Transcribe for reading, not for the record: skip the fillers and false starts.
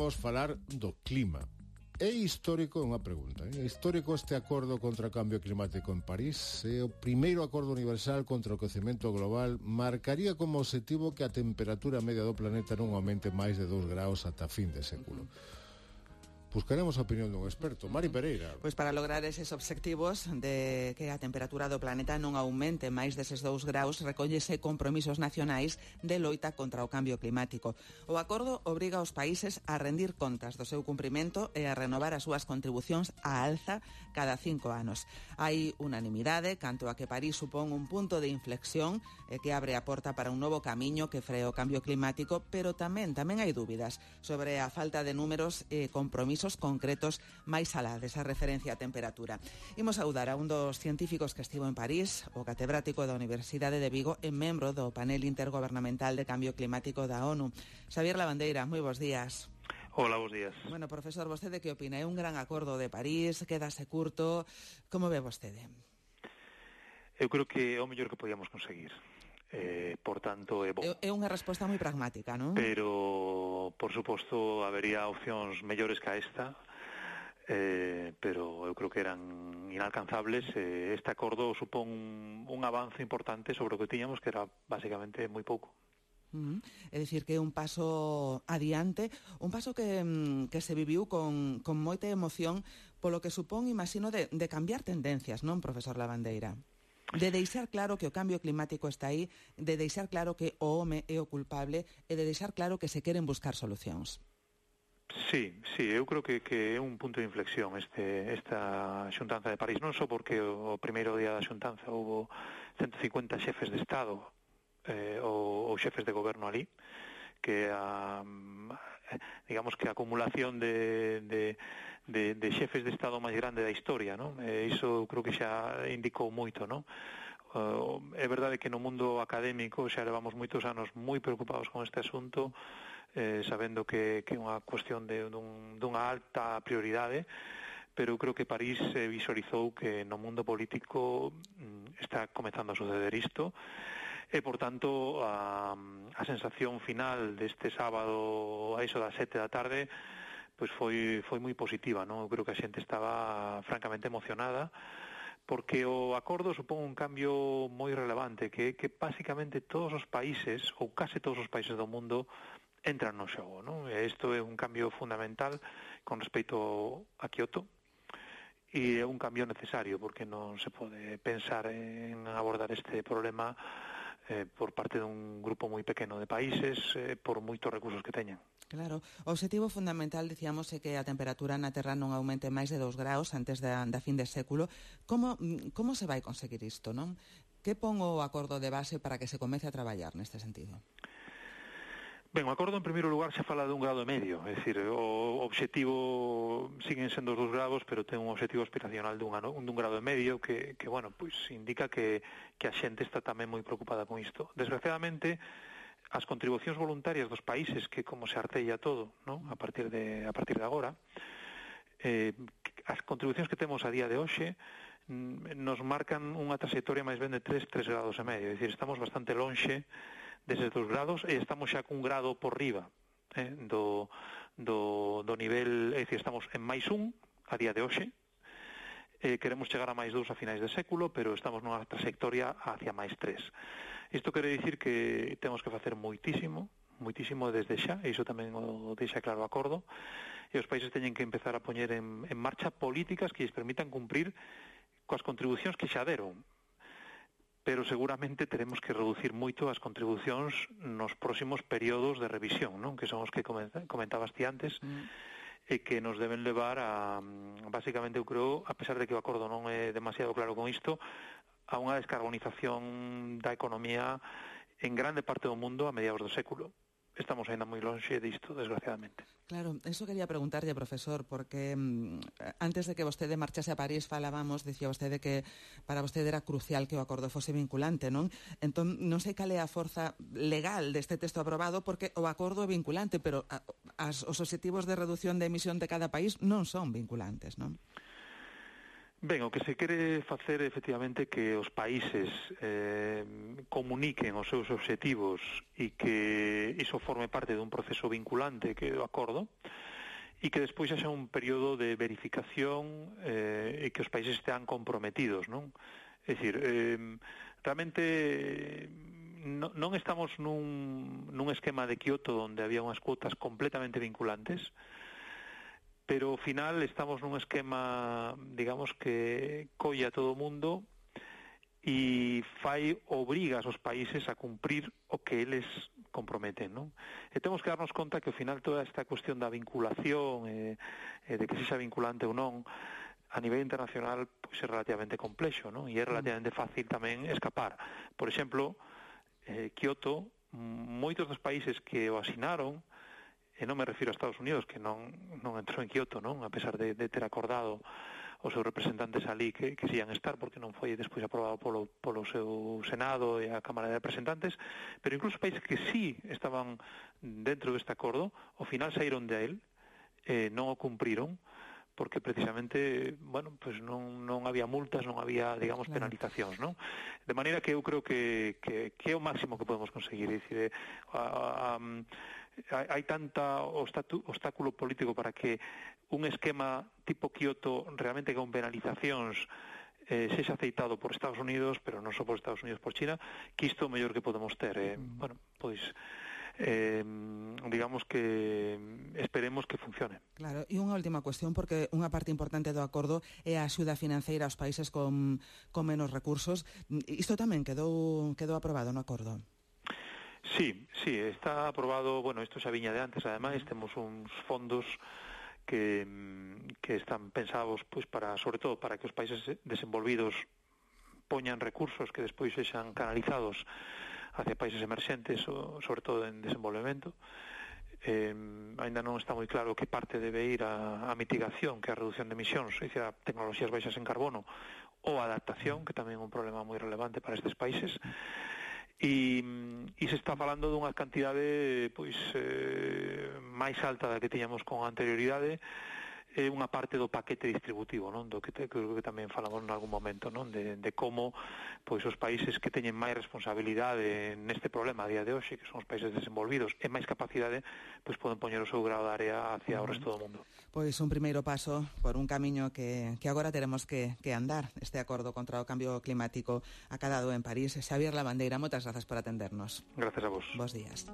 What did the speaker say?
Vamos falar do clima. É histórico, unha pregunta, é histórico este acordo contra o cambio climático en París? É o primeiro acordo universal contra o quecemento global, marcaría como objetivo que a temperatura media do planeta non aumente máis de 2 graus ata fin de século. Buscaremos a opinión dun experto. Mari Pereira. Pois para lograr eses obxectivos de que a temperatura do planeta non aumente máis deses 2 graus, recóllese compromisos nacionais de loita contra o cambio climático. O acordo obriga aos países a rendir contas do seu cumprimento e a renovar as súas contribucións á alza cada 5 anos. Hai unanimidade canto a que París supón un punto de inflexión que abre a porta para un novo camiño que free o cambio climático, pero tamén hai dúbidas sobre a falta de números e compromisos concretos máis alá desa referencia a temperatura. Imos saudar a un dos científicos que estivo en París, o catedrático da Universidade de Vigo e membro do panel intergobernamental de cambio climático da ONU. Xavier Lavandeira, moi bons días. Hola, bons días. Bueno, profesor, vostede que opina? É un gran acordo de París, quedase curto, como ve vostede? Eu creo que é o mellor que podíamos conseguir. Por tanto, é bo. É unha resposta moi pragmática, non? Pero, por suposto, habería opcións mellores que a esta, pero eu creo que eran inalcanzables. Este acordo supón un avance importante sobre o que tiñamos, que era basicamente moi pouco. É dicir, que é un paso adiante, un paso que se viviu con moita emoción polo que supón, imagino, de cambiar tendencias, non, profesor Lavandeira? De deixar claro que o cambio climático está aí, de deixar claro que o home é o culpable e de deixar claro que se queren buscar solucións. Sí, eu creo que é un punto de inflexión esta xuntanza de París, non só porque o primeiro día da xuntanza houve 150 xefes de Estado ou xefes de goberno ali, que digamos que a acumulación de xefes de Estado máis grande da historia, non? Iso creo que xa indicou moito, non? É verdade que no mundo académico xa levamos moitos anos moi preocupados con este asunto, sabendo que é unha cuestión dunha alta prioridade, pero creo que París visualizou que no mundo político está comezando a suceder isto, e, por tanto, a sensación final deste sábado a iso das 7 da tarde pois foi moi positiva, non? Eu creo que a xente estaba francamente emocionada, porque o acordo supón un cambio moi relevante, que basicamente todos os países, ou case todos os países do mundo, entran no xogo, non? E isto é un cambio fundamental con respecto a Kyoto, e é un cambio necesario, porque non se pode pensar en abordar este problema por parte dun grupo moi pequeno de países, por moitos recursos que teñan. Claro, o obxectivo fundamental, dicíamos, é que a temperatura na Terra non aumente máis de 2 graus antes da fin de século. Como se vai conseguir isto, non? Que pon o acordo de base para que se comece a traballar neste sentido? Ben, o acordo en primeiro lugar xa fala de 1,5 graus, é dicir, o obxectivo siguen sendo os 2 graus, pero ten un obxectivo aspiracional de 1,5 graus, que bueno, pois indica que a xente está tamén moi preocupada con isto. Desgraciadamente, as contribucións voluntarias dos países, que como se artella todo, non? A partir de agora, as contribucións que temos a día de hoxe nos marcan unha trayectoria máis ben de 3 graus e medio, é dicir, estamos bastante lonxe deses 2 graus e estamos xa cun grado por riba do nivel, é dicir, estamos en máis 1 a día de hoxe, queremos chegar a máis 2 a finais de século, pero estamos nunha trayectoria hacia máis 3. Isto quere dicir que temos que facer moitísimo desde xa, e iso tamén o deixa claro o acordo, e os países teñen que empezar a poñer en marcha políticas que lles permitan cumprir coas contribucións que xa deron, pero seguramente teremos que reducir moito as contribucións nos próximos períodos de revisión, non? Que son os que comentabas ti antes, e que nos deben levar a, basicamente, eu creo, a pesar de que o acordo non é demasiado claro con isto, a unha descarbonización da economía en grande parte do mundo a mediados do século. Estamos ainda moi lonxe disto, desgraciadamente. Claro, eso quería preguntarlle, profesor, porque antes de que vostede marchase a París falábamos, dicía vostede que para vostede era crucial que o acordo fose vinculante, non? Entón, non sei cal é a forza legal deste texto aprobado, porque o acordo é vinculante, pero os obxectivos de reducción de emisión de cada país non son vinculantes, non? Ben, o que se quere facer efectivamente que os países comuniquen os seus obxectivos e que iso forme parte dun proceso vinculante que é o acordo, e que despois haxa un período de verificación e que os países estean comprometidos, non? É dicir, realmente non estamos nun esquema de Kioto onde había unhas cuotas completamente vinculantes, pero ao final estamos nun esquema, digamos, que colle a todo o mundo e obriga aos países a cumprir o que eles comprometen, non? E temos que darnos conta que ao final toda esta cuestión da vinculación de que sexa vinculante ou non a nivel internacional pois é relativamente complexo, non? E é relativamente fácil tamén escapar. Por exemplo, Kioto, moitos dos países que o asinaron, e non me refiro a Estados Unidos, que non entrou en Kioto, non? A pesar de ter acordado os seus representantes ali que se ian estar, porque non foi despois aprobado polo seu Senado e a Cámara de Representantes, pero incluso países que sí estaban dentro deste acordo, ao final saíron de él, non o cumpriron, porque precisamente, bueno, pues non había multas, non había, digamos, penalizacións, non? De maneira que eu creo que é o máximo que podemos conseguir, é dicir, hai tanta obstáculo político para que un esquema tipo Kioto realmente con penalizacións sexa aceitado por Estados Unidos, pero non só por Estados Unidos, por China, que isto é o mellor que podemos ter. Bueno, pois digamos que esperemos que funcione. Claro, e unha última cuestión, porque unha parte importante do acordo é a axuda financeira aos países con menos recursos. Isto tamén quedou aprobado no acordo? Sí, está aprobado, bueno, isto xa viña de antes, ademais, temos uns fondos que están pensados, pois, sobre todo para que os países desenvolvidos poñan recursos que despois sexan canalizados hacia países emerxentes, sobre todo en desenvolvemento. Ainda non está moi claro que parte debe ir a mitigación, que é a reducción de emisións, é dicir, a tecnoloxías baixas en carbono, ou a adaptación, que tamén é un problema moi relevante para estes países. E se está falando dunha cantidade pois máis alta da que tiñamos con anterioridade, é unha parte do paquete distributivo, non? Do que creo que tamén falamos en algún momento, non? De como pois os países que teñen máis responsabilidade neste problema a día de hoxe, que son os países desenvolvidos, e máis capacidade, pois poden poñer o seu grao de área hacia o resto do mundo. Pois un primeiro paso por un camiño que agora teremos que andar, este acordo contra o cambio climático acadado en París. Xavier Lavandeira, moitas grazas por atendernos. Grazas a vos. Bos días.